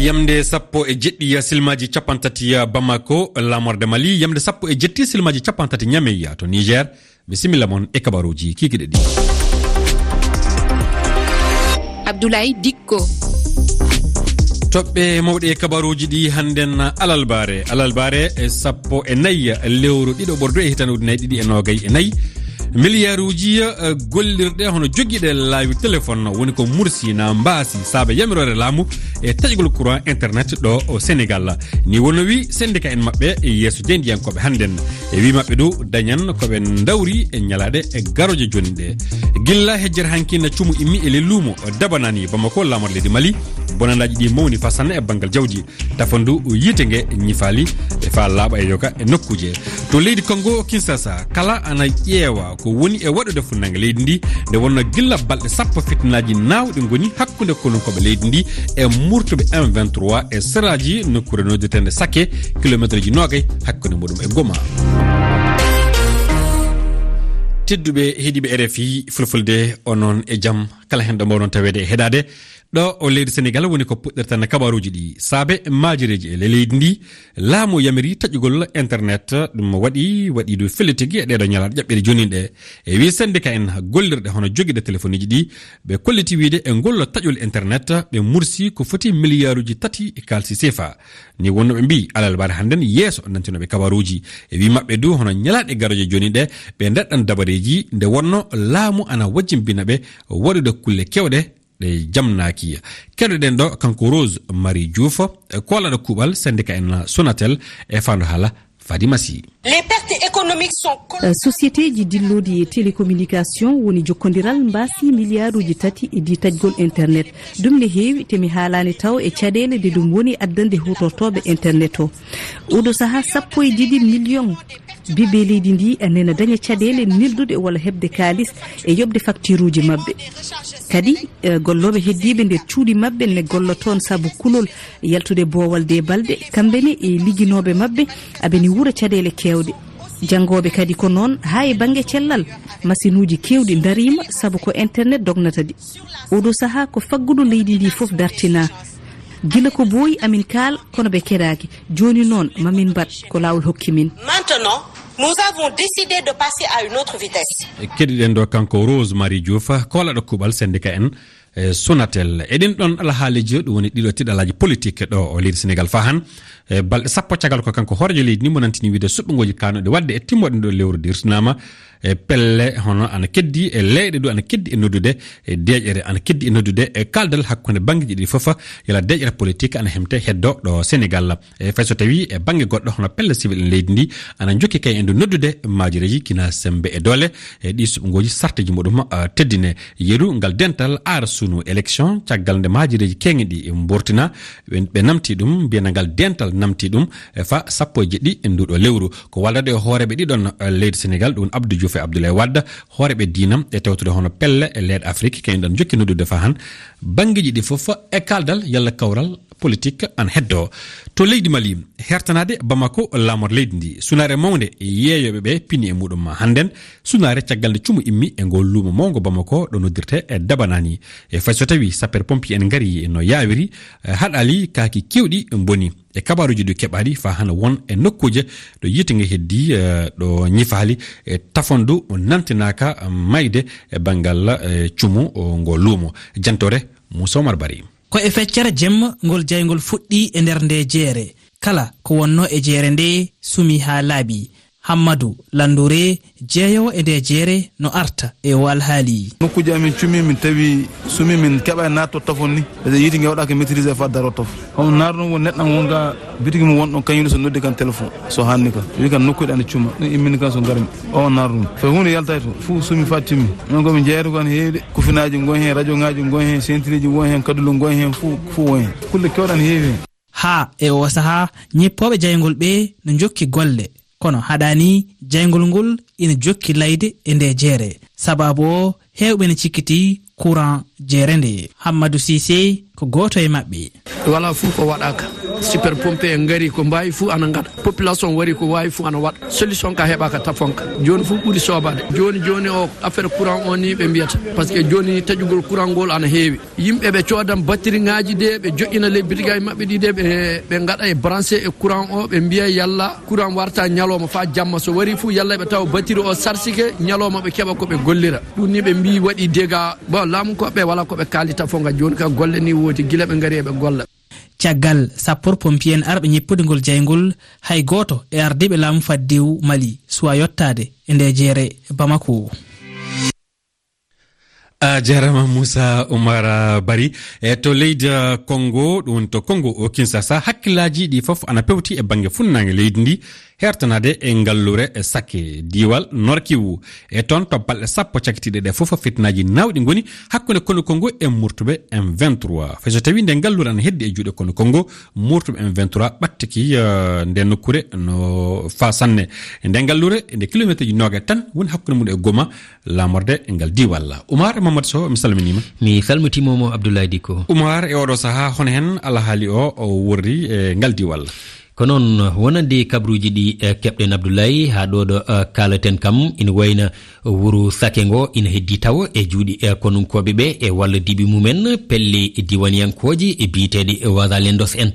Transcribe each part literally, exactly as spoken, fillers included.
Yamde sappo e jeɗɗi silmaaji cappanɗe tati Bamako, laamorde Mali, yamde sappo e jeɗɗi silmaaji cappanɗe tati Niamey to Niger. Bisimilla mon e kabaruuji kikiɗe ɗi. Abdoulaye Dikko. Toɓɓe mawɗe e kabaruuji ɗi hannden alalbaare. Alalbaare e sappo e nayi lewru ɗiɗo ɓordu e hitande ujunnaji ɗiɗi e noogay e nayi. Miliyaaruuji, eh, gollirɗe hono jogiiɗe laawi téléphone woni ko mursi na mbaasi saabe yamiroore laamu e taƴgol courant internet ɗo o Sénégal. Ni wonno wi syndicat en maɓɓe e yeeso jeydiyankooɓe hannden. E wi maɓɓe du dañan ko ɓe ndawri e ñalaaɗe e garooje jooni ɗe. Gilla hejjere hanki na cumu immi e le luumo dabanani Bamako laamorde leydi Mali. Bonandaaji ɗi mawni fasanna e banngal jawdi. Tafandu yiite nge ñifaali e faa laaɓa e yoga e nokkuuje. To leydi Congo Kinshasa, kala ana ƴeewa ko woni e waɗude funnange leydi ndi, nde wonno gilla balɗe sappo fitinaaji naawɗi ngoni hakkunde konunkooɓe leydi ndi e murtuɓe M vingt-trois e seraaji nokkuure noddirteende Sake, kilomeetreji noogay hakkunde muɗum e Goma. Tedduɓe heɗiiɓe R F I Fulfulde, onon e jam, kala hen ɗo mbawɗon taweede e heɗaade. Ɗo o leydi Senegal woni ko puɗɗirta na kabaruuji ɗi. Saabe maajireeji e le-, leydi ndi, laamu yamiri taƴugol internet, ɗum waɗi, waɗi du fellitigi e ɗeeɗo ñalaaɗe ƴaɓɓiɗe jooni ɗe. E wi syndicat en gollirɗe hono jogiiɗe telefonuuji ɗi, ɓe kolliti wiide e ngol taƴol internet, ɓe mursi ko foti miliyaaruuji tati e kaalisi sefa. Ni wonno ɓe mbi, alalbaare hannden yeeso nantinooɓe kabaruuji. E wi maɓɓe du, hono ñalaaɗe garooje jooni ɗe, ɓe ndaɗɗan dabareeji, nde wonno laamu ana wajjimbina ɓe waɗude kulle kewɗe, ɗe jamnaaki. Keɗoɗen ɗo kanko Rose Marie Diouf, e koolaɗo kuuɓal syndicat en Sonatel e faandu haala Fadima Sy. Les pertes économiques sont colossales. Eh, sociétéji dillooɗi e télécommunication woni jokkondiral mbaasi miliyaaruuji tati e di taƴgol internet. Ɗum ne heewi, te mi haalaani taw e caɗeele ɗe ɗum woni addande huutortooɓe internet o. Oɗo sahaa, sappo e ɗiɗi million ɓiɓɓe leydi ndi nena daña caɗeele nelduɗe walla heɓde kaalis e yoɓde facturuuji maɓɓe. Kadi, eh, gollooɓe heddiiɓe nder cuuɗi maɓɓe ne golla toon sabu kulol yaltude boowal de balɗe, kamɓe ne e ligginooɓe maɓɓe aɓe ne wuura caɗeele keewɗe. Janngooɓe kadi ko noon, haa e bannge cellal, masinuuji keewɗi ndariima sabu ko internet dognata ɗi. Oɗo sahaa ko faggudu leydi ndi fof dartinaa. Gila ko booyi amin kaal, kono ɓe keɗaaki. Jooni noon, mamin mbaɗ ko laawol hokki min. Maintenant, nous avons décidé de passer à une autre vitesse. Keɗiɗen ɗo kanko Rose Marie Diouf, koolaɗo kuuɓal syndicat en, e Sonatel. E ɗin ɗon alhaaliiji, ɗum woni ɗiɗo tiɗalaaji politique ɗo o leydi Senegal faa han. E balɗe sappo caggal ko kanko hooreejo leydi ni mo nantini wiide suɓngooji kaanooɗi waɗde e timmoɗen ɗo lewru dirtinaama. E pelle hono ana keddi, e leyɗe du ana keddi e noddude, e deeƴere ana keddi e noddude, e kaaldal hakkunde banngeeji ɗi fof, yala deeƴere politique ana hemte heddo ɗo Senegal. E fay so tawi e bannge goɗɗo hono pelle civil en leydi ndi ana jokki kay en du noddude maajireeji kina sembe e doole, e ɗi suɓngooji sarteeji muɗum, ah, teddine. Yeru ngal dental aara sunu élection caggal nde maajireeji keeŋiɗi mbortina, ɓe, ɓe namti ɗum, mbiyana ngal dental namti ɗum, e fa sappo e jeɗɗi e nduɗo lewru. Ko wallade e hooreeɓe ɗiɗon, eh, leydi Senegal, ɗum Abdou Diouf e Abdoulaye Wade, hooreeɓe diina e tawtude hono pelle e leyɗe Afrik, kañum ɗon jokki noddude fa han banngeeji ɗi fof e kaaldal yalla kawral politique an heddo. To leydi Mali, hertanaade Bamako laamor leydi ndi, sunaare mawnde yeeyooɓe ɓe pini e muɗum ma hannden, sunaare caggal nde cumu immi e ngol luumo mawngo Bamako ɗo noddirte e Dabanani. E fay so tawi sapeur pompier en ngari no yaawiri, eh, haɗaali kaaki keewɗi mboni. E kabaaruuji ɗi keɓaaɗi fa hana won e nokkuuje ɗo yiite nge heddi, eh, ɗo ñifaali e tafandu nantinaaka mayde e banngal, eh, cumu, o, ngo luumo. Jantore Moussa Omar Bari. Ko e feccere jemma ngol jayngol fuɗɗi e nder nde jeere. Kala ko wonno e jeere nde sumi haa laaɓi. Hammadu Lanndure, jeeyoowo e nde jeere, no arta e o alhaali. Nokkuuji amin cumi, min tawi sumi, min keɓa e naatto tafon ni. Parce que yiite nge waɗaaka maîtrisé fa daro taf. Hono naaro noon won neɗɗo am won ga bitigi mum won ɗon, kañum so noddi kan téléphone, so hanni kan. Wi kan nokkuuji ana cuma. Ɗum immini kan so ngarmi. O naaro ɗum. Fay huunde yaltay to. Fuu sumi fa timmi. Noon ko min jeeyata ko ana heewi de. Kufinaaji ngon heen, radio ŋaaji ngon heen, sentiriji ngon heen, kadulu ngon heen, fuu, fuu won heen. Kulle keewɗe ana heewi heen. Haa e oo sahaa, ñippooɓe jayngol ɓee no njokki golle, kono haɗaani jayngol ngol ina jokki layde e ndee jeere. Sabaabu o, heewɓe ne cikkitii courant jeere ndee. Hammadu Siise ko gooto e maɓɓe. Walaa fof ko waɗaaka. Super pompe en ngari, ko mbaawi fuu ana ngaɗa. Population wari, ko waawi fuu ana waɗa. Solution ka heɓaaka Tafonka. Jooni fuu ɓuri soobaade. Jooni jooni o, affaire courant o ni ɓe mbiyata. Parce que jooni taƴugol courant ngol ana heewi. Yimɓe ɓe coodan batterie ŋaaji de, ɓe joƴƴina les bitigaji maɓɓe ɗi de, ɓe, ɓe ngaɗa e branché e courant o, ɓe mbiya yalla courant warta ñalawma faa jamma. So wari fuu yalla ɓe tawa batterie o sarsike, ñalawma ɓe keɓa ko ɓe gollira. Ɗum ni ɓe mbii waɗi dégâts. Bon, laamu ko ɓe wala ko ɓe kaali Tafonka jooni ka golle ni woodi gila ɓe ngari eɓe golla. Caggal sapeur pompier en arɓe ñeppude ngol jayngol, hay gooto e ardiiɓe laamu faddewu Mali suwa yottaade e nde jeere Bamako. A jarama Moussa Oumar Bari. E to leydi, uh, Congo, ɗum woni to Congo o Kinshasa, hakkillaaji ɗi fof ana pewti e bannge funnaange leydi ndi, hertanaade e ngalluure e sakke diiwal Nord-Kivu. E toon, to balɗe sappo cakkitiiɗe ɗe fof, fitinaaji naawɗi ngoni hakkunde Konu Kongo e murtuɓe M vingt-trois. Fay so tawii nde ngalluure ana heddi e juuɗe Konu Kongo, murtuɓe M vingt-trois ɓattiki, eh, nde nokkuure no faa sanne. Nde ngalluure, nde kilomeeterji noogaas tan woni hakkunde mum e Goma, laamorde ngal diiwal. Oumar Mamadou Sow, mi salminiima. Mi salmitiima mo Abdoulaye Dicko. Oumar, e oɗo sahaa, hono heen alhaali o, o worri e ngal diiwal? Ko noon, wonande kabruuji ɗi, eh, keɓɗen Abdoulaye, haa ɗo ɗo, eh, kaalaten kam, ina wayna wuro Sake ngo ina heddi tawo e juuɗe, eh, konunkooɓe ɓe e walla diiɓi mumen, pelle diwaniyankooji e biyeteeɗi Wazalendos en.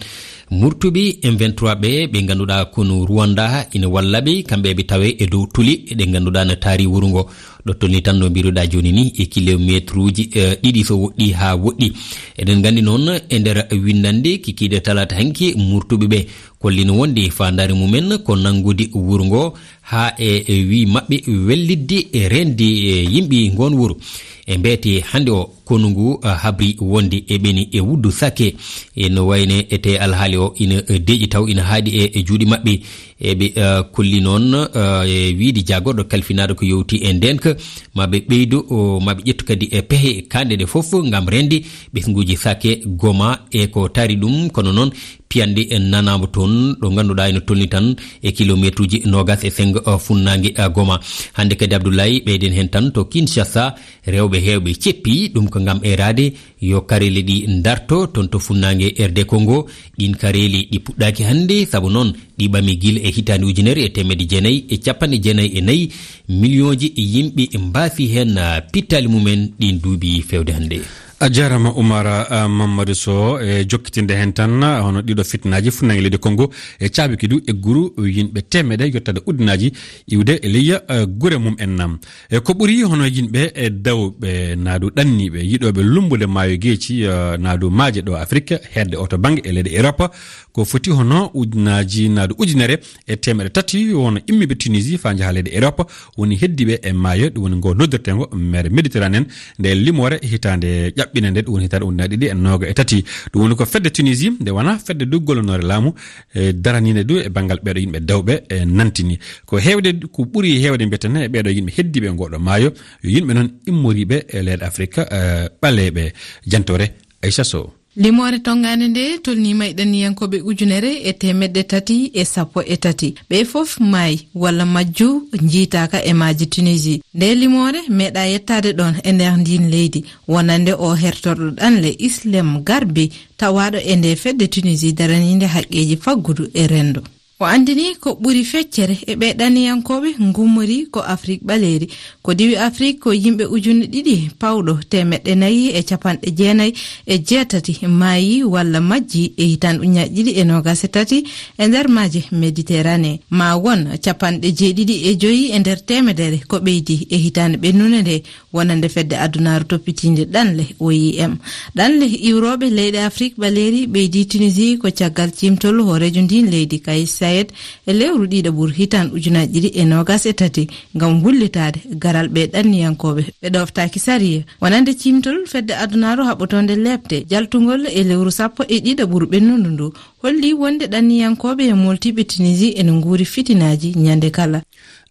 Murtuɓe M vingt-trois ɓe, ɓe ngannduɗaa konu Rwanda ina walla ɓe, kamɓe ɓe tawe e dow tuli ɗe ngannduɗaa na taari wuro ngo. Ɗo tolni tan no mbiruɗaa jooni ni e kilomeetruuji, eh, ɗiɗi so woɗɗi haa woɗɗi. Eɗen nganndi noon e nder winndannde kikiiɗe talaata hanki murtuɓe ɓe kollino wonde faandaare mumen ko nanngude wuro ngo haa e, e wii maɓɓe wellitde e reende, e yimɓe ngoon wuro. E mbeete hannde o konu ngu, ah, habri wonde e ɓeni e wuddu Sake. E no wayne e te alhaali o ina, eh, deeƴi taw ina haaɗi e, e juuɗe maɓɓe. Eɓe, eh, kolli noon, eh, e wiide jaagorɗo kalfinaaɗo ko yowti e ndeenka, ma ɓe ɓeydo, o, ma ɓe ƴettu kadi e pehe kaanɗe ɗe fof ngam reende ɓesnguuji Sake, Goma e ko taari ɗum. Kono noon piyanɗe en nanaama toon ɗo ngannduɗaa ina tolni tan e kilomeetruuji noogaas e senngo, eh, funnaange, eh, Goma. Hannde kadi Abdoulaye ɓeyden heen tan to Kinshasa, rewɓe heewɓe ceppi ɗum ko ngam eeraade yo kareeli ɗi ndarto toon to funnaange R D Congo. Ɗiin kareeli ɗi puɗɗaaki hannde, sabu noon ɗi ɓami gila e hitaande ujunere e teemedde jeenayi e capanɗe jeenayi e nayi. Miliyooji yimɓe mbaafi heen, ah, pittaali mumen ɗiin duuɓi feewde hannde. A jaaraama Oumar, ah, Mamadou Sow, e jokkitinde heen tan, ah, hono ɗiɗo fitinaaji funnaange leydi Congo e caabiki du e guru yimɓe teemedde yottaade ujunaaji iwde e leyya, ah, gure mum en nam. E ko ɓuri hono yimɓe e dawɓe naadu ɗanniiɓe yiɗooɓe lummbude maayo geeci, eh, naadu maaje ɗo Afrik, heedde o to bannge e leyɗe Europe, ko foti hono ujunaaji naadu ujunere e teemedde tati won immiiɓe Tunisie faa njaha leyɗe Europe, woni heddiiɓe e maayo, ɗum woni ngo noddirteengo mer Méditerranée, nde limoore hitaande ƴaɓɓine nde, ɗum woni hitaande ujunaaji ɗiɗi e noogaas e tati. Ɗum woni ko fedde Tunisie, nde wonaa fedde du gollonoore laamu, e daraniinde du e banngal ɓeeɗo yimɓe dawɓe, e nantini. Ko heewde, ko ɓuri heewde mbiyeten e ɓeeɗo yimɓe heddiiɓe e ngooɗo maayo, yo yimɓe noon immoriiɓe e leyɗe Afrik, e ɓaleeɓe. Jantoore Aisha Sow. Limoore tonngaande nde tolniima e ɗanniyankooɓe ujunere e teemedde tati e sappo e tati. Ɓe fof maayi walla majju njiytaaka e maaje Tunisie. Nde limoore meeɗaa yettaade ɗoon e nder ndiin leydi, wonande o hertorɗo ɗanle Islem Garbi, tawaaɗo e nde fedde Tunisie daraniinde haqqeeji faggudu e renndo. O anndini ko ɓuri feccere e ɓee ɗanniyankooɓe ngummori ko Afrik ɓaleeri. Ko diwi Afrik ko yimɓe ujunne ɗiɗi pawɗo teemeɗɗe nayi e capanɗe jeenayi e jeetati maayi walla majji e hitaande ujunaaji ɗiɗi e noogaas e tati e nder maaje Méditerranée. Ma won capanɗe jeeɗiɗi e joyi e nder teemedere ko ɓeydi e hitaande ɓennunde nde, wonande fedde adunaaru toppitiinde ɗanle, O I M. Ɗanle iwrooɓe leyɗe Afrik ɓaleeri ɓeydi Tunisie ko caggal ciimtol hooreejo ndiin leydi, Kais Saied, e lewru ɗiɗaɓuru hitaande ujunaaji ɗiɗi e noogaas e tati ngam wullitaade garal ɓee ɗanniyankooɓe ɓe ɗooftaaki sariya. Wonande ciimtol fedde adunaaru haɓɓotoonde leepte jaltungol e lewru sappo e ɗiɗaɓuru ɓennundu ndu, holli wonde ɗanniyankooɓe e mooltiiɓe Tunisie ene nguuri fitinaaji ñande kala.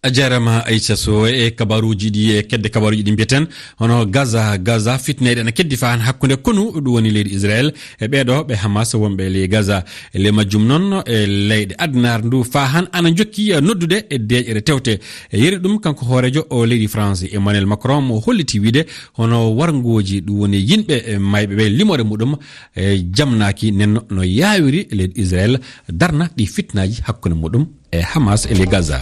A jaaraama, Aisha Sow. E kabaruuji ɗi, e kedde kabaruuji ɗi mbiyeten, hono Gaza, Gaza, fitneeji ana keddi faa han hakkunde konu, ɗum woni leydi Israel, e ɓeeɗo ɓe Hamas wonɓe e ley Gaza. E ley majjum noon, e leyɗe addunaare ndu faa han ana njokki, e noddude e deeƴere tewte. E yeru ɗum, kanko hooreejo o leydi France, Emmanuel Macron, mo holliti wiide hono warngooji, ɗum woni yimɓe, e mayɓe ɓe, limoore muɗum, e jamnaaki nenno no yaawiri leydi Israel darna ɗi fitnaaji hakkunde muɗum e Hamas e ley Gaza.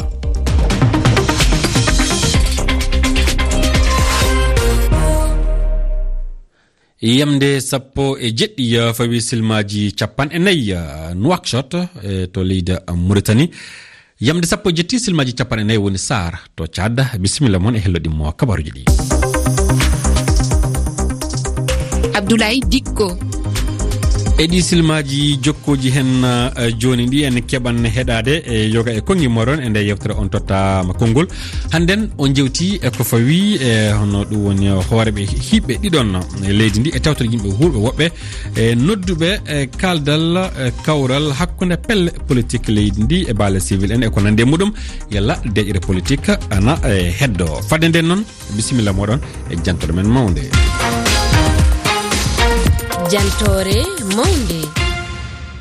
Yamde sappo e jeɗɗi, eh, fawi silmaaji capanɗe nayi, eh, Nouakchott, eh, to leydi Mauritanie. Yamde sappo e jeɗɗi, silmaaji capanɗe nayi woni Saar to Tchad. Bisimilla mon e hello ɗimmo kabaruuji ɗi. Abdoulaye Dikko. E ɗi silmaaji jokkooji hen, eh, jooni ɗi, en keɓan heɗaade e yoga e konngi moɗon e nde yewtere On Tottaama Konngol. Hannden on jewti e ko fawi e hono ɗum woni hooreeɓe hiɓɓe ɗiɗon e leydi ndi e tawtoreeɓe yimɓe wuurɓe woɓɓe e nodduɓe e kaaldal e kawral hakkunde pelle politik leydi ndi e baale civil en e ko nanndi e muɗum. Yalla deeƴre politik ana, eh, heddo. Fadde nden noon, bisimilla moɗon e jantoore men mawnde. Jantoore mawnde.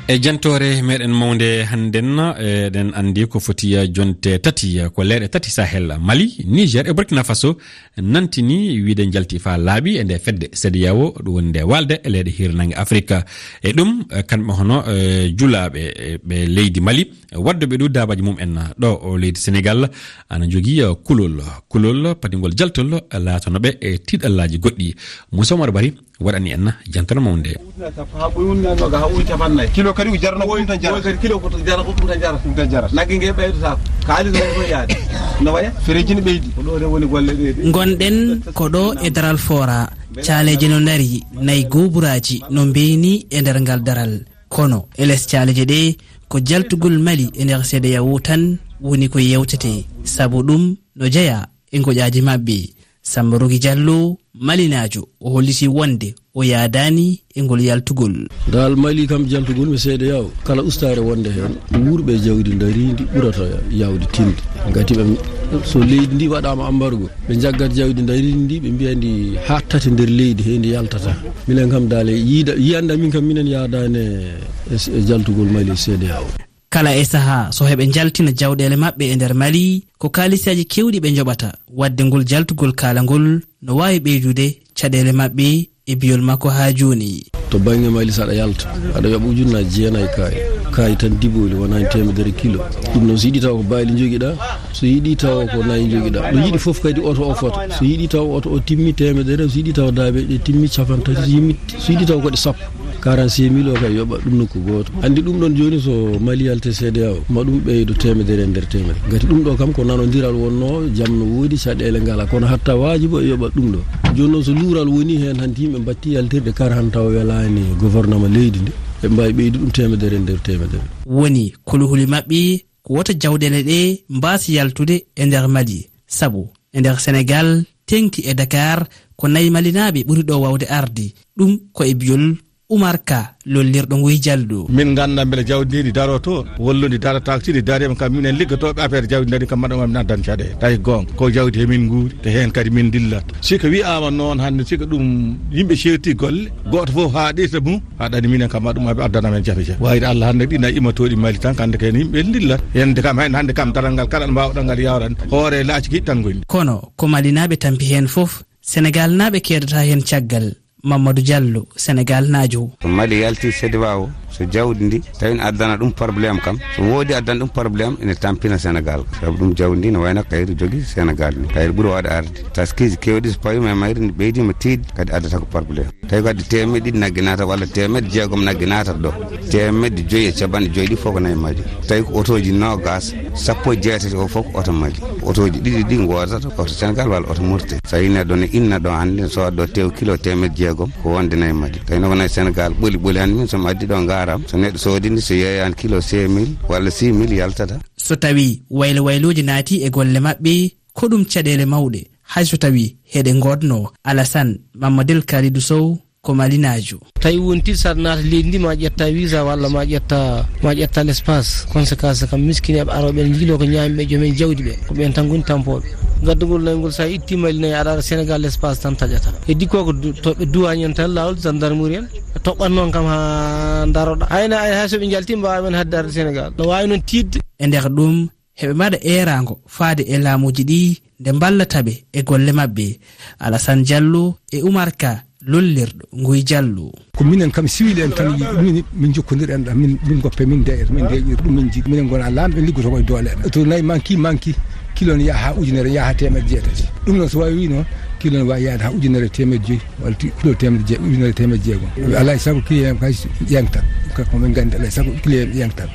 E jantoore meɗen mawnde hannden, eh, eɗen anndi ko foti, eh, jonte tati, eh, ko leyɗe tati Sahel, Mali, Niger e Burkina Faso, nantini wiide njalti faa laaɓi e nde fedde CEDEAO, ɗum woni nde waalde e leyɗe hiirnaange Afrika. E ɗum, eh, kamɓe hono, eh, julaaɓe, eh, ɓe leydi Mali, wadduɓe ɗo daabaaji mum en ɗo o leydi Senegal, ana jogii, eh, kulol, kulol padingol jaltol laatano ɓe e tiiɗallaaji goɗɗi. Moussa Oumar Bari waɗani en jantoore mawnde. Ujunere sappo haa ɓuri, ujunere noga haa ujunere capannayyi. Kilo kadi ko jarno ko ɗum tan jara. Oy kadi kilo ko to jara, ko ɗum tan jara. Ɗum tan jara. Nagge nge ɓeydotaako. Kaalis nge ko yaade. No waya? Fereeji ne ɓeydi. Ko ɗo de woni golle ɗe de. Ngonɗen ko ɗo e daral Fora. Caaleeje no ndari, nayi gooburaaji no mbeeni e nder ngal daral. Kono e les caaleeje ɗe, ko jaltugol Mali e nder CEDEAO tan woni ko yewtetee. Sabu ɗum no jeyaa e ngoƴaaji maɓɓe. Samba Rogi Jallo, Malinaajo, o holliti wonde o yaadaani e ngol yaltugol. Ngal Mali kam jaltugol mi CEDEAO, kala ustaare wonde heen, wuurɓe jawdi ndariindi ɓurata yaawde tinde. Ngati ɓe, so leydi ndi waɗaama ambargo, ɓe njaggat jawdi ndariindi ndi, ɓe mbiya ndi haaɗtate nder leydi, he ndi yaltata. Minen kam daale yiida, yiyande min kam minen yaadaani e, e jaltugol Mali CEDEAO. Kala e sahaa, so heɓe njaltina jawɗeele maɓɓe e nder Mali, ko kaalisaaji keewɗi ɓe njoɓata. Waɗde ngol jaltugol kaalangol no waawi ɓeydude caɗeele maɓɓe e biyol makko haa jooni. To bannge Mali, so aɗa yalta, aɗa yoɓa ujunnaaji jeenayi kaay. Kaay tan dibooli, wonaani teemedere kilo. Ɗum noon, so yiɗi taw ko baali njogiɗaa, so yiɗi taw ko nayi njogiɗaa. Ɗo yiɗi fof kadi oto o fota. So yiɗi taw oto o timmi teemedere, so yiɗi taw daabe ɗe timmi capanɗe tati, so yimmi, so yiɗi taw ko ɗe sappo. Quarante-cinq mille o kay yoɓa ɗum nokku gooto. Anndi ɗum ɗon jooni so Mali yalti CEDEAO, ma ɗum ɓeydo teemedere e nder teemedere. Ngati ɗum ɗo kam ko nanondiral wonnoo, jam no woodi, caɗeele ngala. Kono hatta waajibo e yoɓa ɗum ɗo. Jooni noon so luural woni heen, hanti yimɓe mbatti yaltirde kar han taw welaani gouvernement leydi ndi, ɓe mbaawi ɓeydu ɗum teemedere e nder teemedere. Woni kuluhuli maɓɓe ko wota jawɗeele ɗe mbaas yaltude e nder Mali. Sabu e nder Senegal, teŋti e Dakar, ko nayi Malinaaɓe ɓuri ɗo waawde arde. Ɗum ko e biyol Umar Ka, lollirɗo Nguy Jallo. Min nganndaa mbele jawdi ndi daroto, wallu ndi darataako, si ndi dariima kam, minen liggotooɓe affaire jawdi ndari kam, maɗa ngam nan dan caɗeele. Tawi goonga, ko jawdi he min nguuri, te heen kadi min dillat. Si ko wiyaama noon hannde, si ko ɗum yimɓe ceerti golle, gooto fof haaɗirta mum, haɗani minen kam, ma ɗum addana men jafe jafe. Wayde Allah hannde ɗi nayi immotooɗi Mali tan, hannde kay yimɓe ndillat. Yande kam, heen hannde kam, daral ngal kala mbaawɗo ngal yawran, hoore laaci kiɗi tan ngoni. Kono ko Malinaaɓe tampi heen fof, Senegaalnaaɓe keedata heen caggal. Mamadou Diallo, Senegaalnaajo. So Mali yalti CEDEAO, so jawdi ndi, tawi ne addana ɗum problème kam, so woodi addana ɗum problème, ene tampina Senegal. Sabu ɗum jawdi ndi ne wayno kayri jogi Senegal ni. Kayri ɓuri waawde arde. Taskiiji keewɗi so pawiima e mayri, ndi ɓeydiima tiiɗde, kadi addata ko problème. Tawi ko addi teemedde ɗiɗi nagge naata walla teemedde jeegom nagge naata ɗo. Teemedde joyi e capanɗe joyi ɗi fof ko nayi Mali. Tawi ko otooji noogaas, sappo e jeetati o fof ko oto Mali. Otooji ɗiɗi ɗi ngoodata ko oto Senegal walla oto Mauritanie. So tawi neɗɗo ne inna ɗo hannde, ne sooda ɗo tew kilo teemedde jeegom, ko wonde nayi Mali. Tawi no ko nayi Senegal ɓoli ɓoli hannde, min so mi addi ɗo ngaram, so neɗɗo soodi ndi, so yeeyani kilo cinq mille walla six mille yaltata. So tawi waylo waylooji naati e golle maɓɓe, ko ɗum caɗeele mawɗe, hay so tawi heɗe ngoodno. Alassane Mamadou Kalidou Sow, ko malinaajo. Tawi wonti saɗa naata leydi ndi ma ƴetta visa walla ma ƴetta, ma ƴetta l'espace. Conséquence kam miskineeɓe arooɓe ene njiloo ko ñaami ɓe joomen jawdi ɓe. Ko ɓen tan ngoni tampooɓe. Gaddugol nayi ngol sa itti Mali nayi aɗa ara Sénégal l'espace tan taƴata. Heddi ko ko du-, to ɓe duwañi en tan laawol gendarmerie en. Toɓɓat noon kam ha daroɗa. Hayna ay hay so ɓe njalti mbaawa men hadde arde Sénégal. No waawi noon tiiɗde. E nder ɗum, heɓe mbaɗa eeraango faade e laamuuji ɗi nde mballata ɓe e golle maɓɓe. Alassane Diallo e Oumar Ka lollirɗo Nguy Diallo. Ko minen kam siwil en tan yiɗi ɗum, min, min jokkondir en ɗam, min, min goppe, min deƴa, min deƴir ɗum, min jiɗi, minen gona laamɓe liggoto koye doole amen. To nayi manki, manki, kilo ne yaha ha ujunere, yaha ha teemedde jeetati. Ɗum noon so wawi wi noon, kilo ne wawi yaade ha ujunere teemedde joyyi, walla ti-, kilo teemedde je-, ujunere teemedde jeegom. Alay sago kilo en kay yangtan, ko min gandi alay sago kilo en yangtan.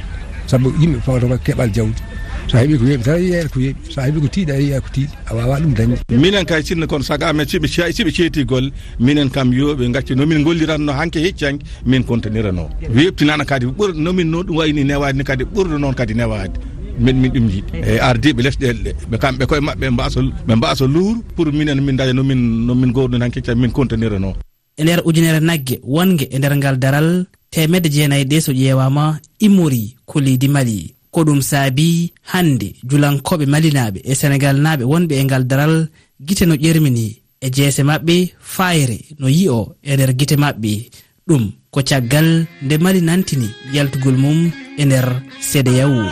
Sabu yimɓe fawata ko keɓal jawdi. So a heɓi ko weeɓi tan, a yiya ko weeɓi. So a heɓi ko tiiɗi, a yiya ko tiiɗi. A wawa ɗum dañde. Minen kay sinno kono saga amen, siɓe ce-, siɓe ceeti golle, minen kam yo ɓe gacce no min golliranno hanke hecci hanke, min kontanirano. Weeɓtinana kadi ɓur-, no min no ɗum wayni newaade ni kadi ɓurɗo noon kadi newaade. Min, min ɗum jiɗi. E ardiiɓe lesɗeele ɗe, ɓe kamɓe koye maɓɓe mbasa, ɓe mbasa luur pour minen min daña no min, no min gowno hanke hecci hanke min kontanirano. E nder ujunere nagge wonge e nder ngal daral, teemedde jeenayi ɗe so ƴeewaama immori ko leydi Mali. Ko ɗum saabi hannde julankooɓe malinaaɓe e senegaalnaaɓe wonɓe e ngal daral gite no ƴermini e jeese maɓɓe, faayre no yi'o e nder gite maɓɓe. Ɗum ko caggal nde Mali nantini yaltugol mum e nder C D A O.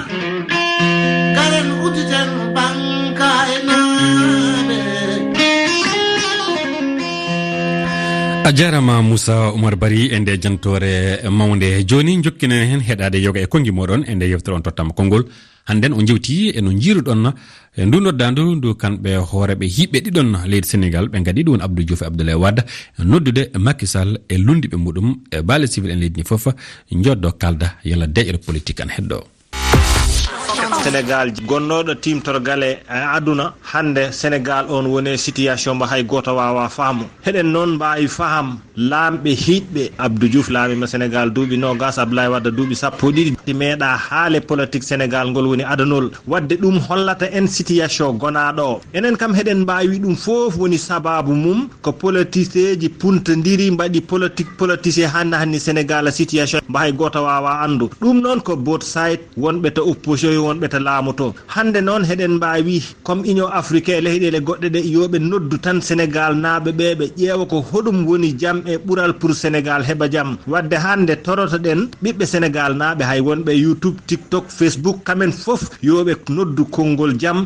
Karen udditen banka e naaɓe. A jarama Moussa Oumar Bari e nde jantoore mawnde. Joni jokkinen hen heɗade yoga e konngi moɗon e nde yewtere on tottama konngol. Hannden o jewti e no jiiruɗon e ndu noddandu ndu kamɓe hooreɓe hiɓɓe ɗiɗon leydi Sénégal ɓe ngaɗi ɗum Abdou Diouf e Abdoulaye Wade noddude Macky Sall e lunndiɓe muɗum e baale civil en leydi ndi fof. Joddo kalda yalla deƴre politique an heddo. Sénégal gonnooɗo timtorgal e aduna, hannde Sénégal on woni e situation mo hay gooto waawa faamu. Heɗen noon mbaawi faham laamɓe hiiɗɓe. Abdou Diouf laamima Sénégal duuɓi noogas, Abdoulaye Wade duuɓi sappo e ɗiɗi. Ti meeɗa haale politique Sénégal ngol woni adanol. Wadde ɗum hollata en situation gonaaɗo o. Enen kam heɗen mbaawi ɗum fof woni sababu mum. Ko politiseeji puntondiri mbaɗi politique politisé hannde hannde Sénégal situation mbo hay gooto waawa anndu. Ɗum noon ko both side, wonɓe to opposition, wonɓe to laamu to. Hannde noon heɗen mbaawi, comme Union Africaine e leyɗeele goɗɗe ɗe, yo ɓe noddu tan Sénégal naaɓe ɓe, ɓe ƴeewa ko hoɗum woni jam e ɓural pour Sénégal heɓa jam. Wadde hannde torotoɗen ɓiɓɓe Sénégal naaɓe, hay wonɓe YouTube, TikTok, Facebook, kamen fof yo ɓe noddu konngol jam.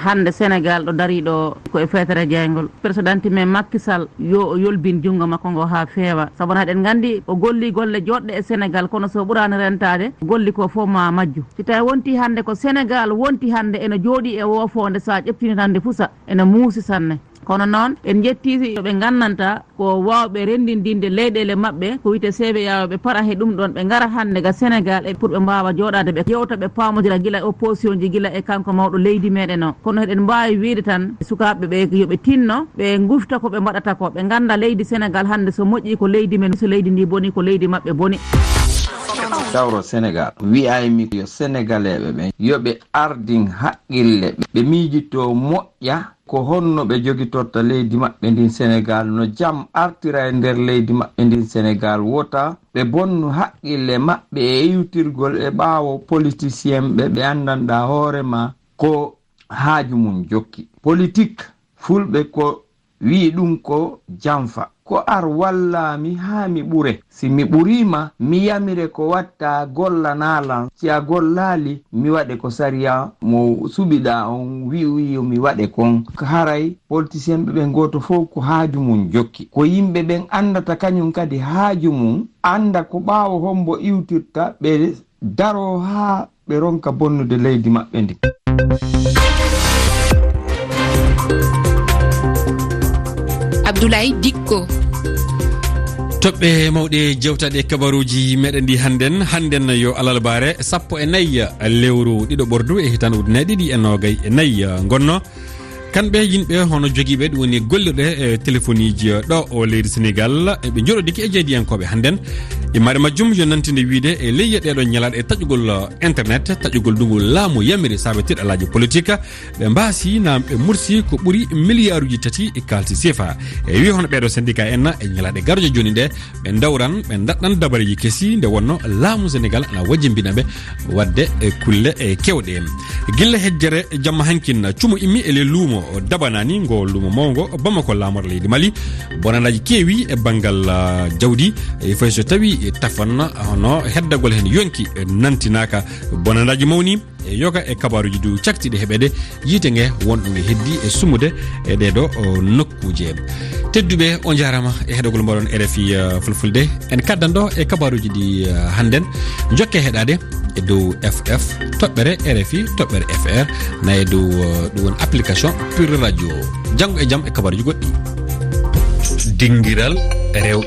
Hannde Sénégal ɗo dariɗo ko e feetere jeyngol. Président men Macky Sall yo o yolbin junngo makko ngo haa feewa. Sabu na eɗen nganndi o golli golle joɗɗe e Sénégal, kono so ɓuraani rentaade, golli ko fof ma majju. Si tawi wonti hannde ko Sénégal wonti hannde ene jooɗi e woofoonde, so a ƴettini tan nde fusa, ene muusi sanne. Kono noon, en njettii yo ɓe ngannanta ko waawɓe renndindinde leyɗeele maɓɓe, ko wiyetee C V A O, ɓe para he ɗum ɗoon, ɓe ngara hannde ga Sénégal e pour ɓe mbaawa jooɗaade, ɓe yewta, ɓe paamodira gila e opposition ji, gila e kanko mawɗo leydi meɗen o. Kono eɗen mbaawi wiyde tan sukaaɓe ɓe yo ɓe tinno, ɓe ngufta ko ɓe mbaɗata ko, ɓe ngannda leydi Sénégal hannde so moƴƴi ko leydi men, so leydi ndi boni ko leydi maɓɓe boni. Tawro Sénégal, wiyaymi yo Sénégalais ɓe ɓen, yo ɓe ardin haqqille, ɓe miijito moƴƴa ko honno ɓe jogitorta leydi maɓɓe ndin Sénégal, no jam artira e nder leydi maɓɓe ndin Sénégal, wota ɓe bonnu haqqille maɓɓe e iwtirgol e ɓaawo politicien ɓe, ɓe anndanɗaa hoore ma ko haaju mum jokki. Politik, fulɓe ko wi'i ɗum ko janfa. Ko ar wallaami haa mi ɓure. Si mi ɓuriima, mi yamire ko watta gollanaa lan. Si a gollaali, mi waɗe ko sariya mo suɓiɗaa on wi'uyi yo mi waɗe kon. Haray politisienɓe ɓen gooto fof ko haaju mum jokki. Ko yimɓe ɓen anndata kañum kadi haaju mum, annda ko ɓaawo hombo iwtirta ɓe daroo haa ɓe ronka bonnude leydi maɓɓe ndin. Abdoulaye Dikko. Toɓɓe mawɗe jewtaɗe kabaruuji meɗen ɗi hannden, hannden yo alarbaare sappo e nayi lewru ɗiɗo ɓordu e hitan ujunere ɗiɗi e noogay e nayi ngonno. Kamɓe yimɓe hono jogiiɓe ɗum woni gollirɗe e telefoniiji ɗo o leydi Senegal, ɓe njoɗodiki e jeediyankooɓe hannden. Immaade majjum yo nantinde wiyde e leyɗe ɗeeɗo ñalaaɗe e taƴugol, eh, internet, taƴugol ndugu laamu yamiri saabe tiɗalaaji politik, ɓe mbaasi naam ɓe mursi ko ɓuri miliyaaruuji tati e kaalisi sefa. E wi hono ɓeeɗo syndicat en e ñalaaɗe garooje jooni ɗe, ɓe ndawran, ɓe ndaɗɗan dabareeji kesi nde wonno laamu Senegal ana wajjimbina ɓe waɗde e kulle e kewɗe. Gilla hejjere jamma hankin, cumo immi e le luumo Dabanani, ngo luumo mawngo Bamako laamor leydi Mali. Bonandaaji keewi e banngal, ah, jawdi, e fayi so tawi tafan hono heddagol heen yonki nantinaaka. Bonandaaji mawni e yoga e kabaaruuji du caktiiɗi heɓeede yiite nge wonɗo nge heddi e sumude e ɗeeɗo, o, nokkuuje. Tedduɓe, on njaaraama e heɗogol mbaɗon R F I, eh, Fulfulde. En kaddan ɗo e kabaaruuji ɗi, eh, hannden. Jokke heɗaade e dow F F, toɓɓere R F I, toɓɓere F R, na e dow, eh, ɗum woni application Pure Radio. Janngo e jam e kabaaruuji goɗɗi. Dingiral rew